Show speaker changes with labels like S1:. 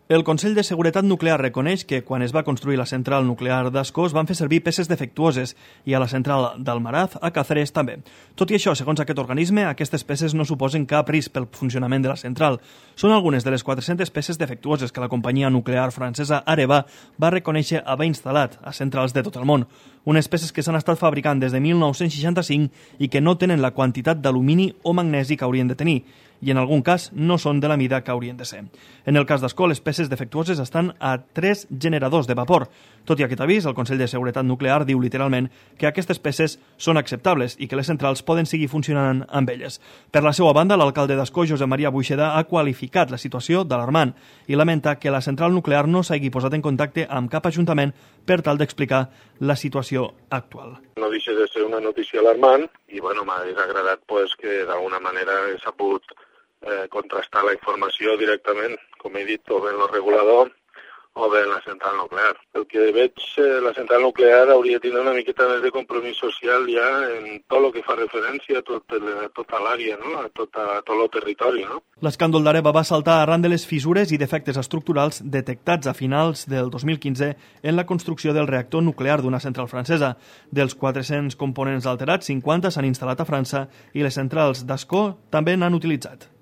S1: El Consell de Seguretat Nuclear reconeix que quan es va construir la central nuclear d'Ascó es van fer servir peces defectuoses i a la central d'Almaraz, a Cáceres, també. Tot i això, segons aquest organisme, aquestes peces no suposen cap risc pel funcionament de la central. Són algunes de les 400 peces defectuoses que la companyia nuclear francesa Areva va reconèixer haver instal·lat a centrals de tot el món. Unes peces que s'han estat fabricant des de 1965 i que no tenen la quantitat d'alumini o magnesi que haurien de tenir, i en algun cas no són de la mida que haurien de ser. En el cas d'Ascó, les peces defectuoses estan a 3 generadors de vapor. Tot i aquest avís, el Consell de Seguretat Nuclear diu literalment que aquestes peces són acceptables i que les centrals poden seguir funcionant amb elles. Per la seva banda, l'alcalde d'Ascó, Josep Maria Buixeda, ha qualificat la situació d'alarmant i lamenta que la central nuclear no s'hagi posat en contacte amb cap ajuntament per tal d'explicar la situació actual.
S2: No deixa de ser una notícia alarmant i m'hauria agradat que d'alguna manera s'ha pogut contrastar la informació directament, com he dit, o bé en el regulador o bé en la central nuclear. El que veig, la central nuclear hauria de tenir una miqueta més de compromís social ja en tot el que fa referència a tota l'àrea, no? a tot el territori. No?
S1: L'escàndol d'Areva va saltar arran de les fissures i defectes estructurals detectats a finals del 2015 en la construcció del reactor nuclear d'una central francesa. Dels 400 components alterats, 50 s'han instal·lat a França i les centrals d'Ascó també n'han utilitzat.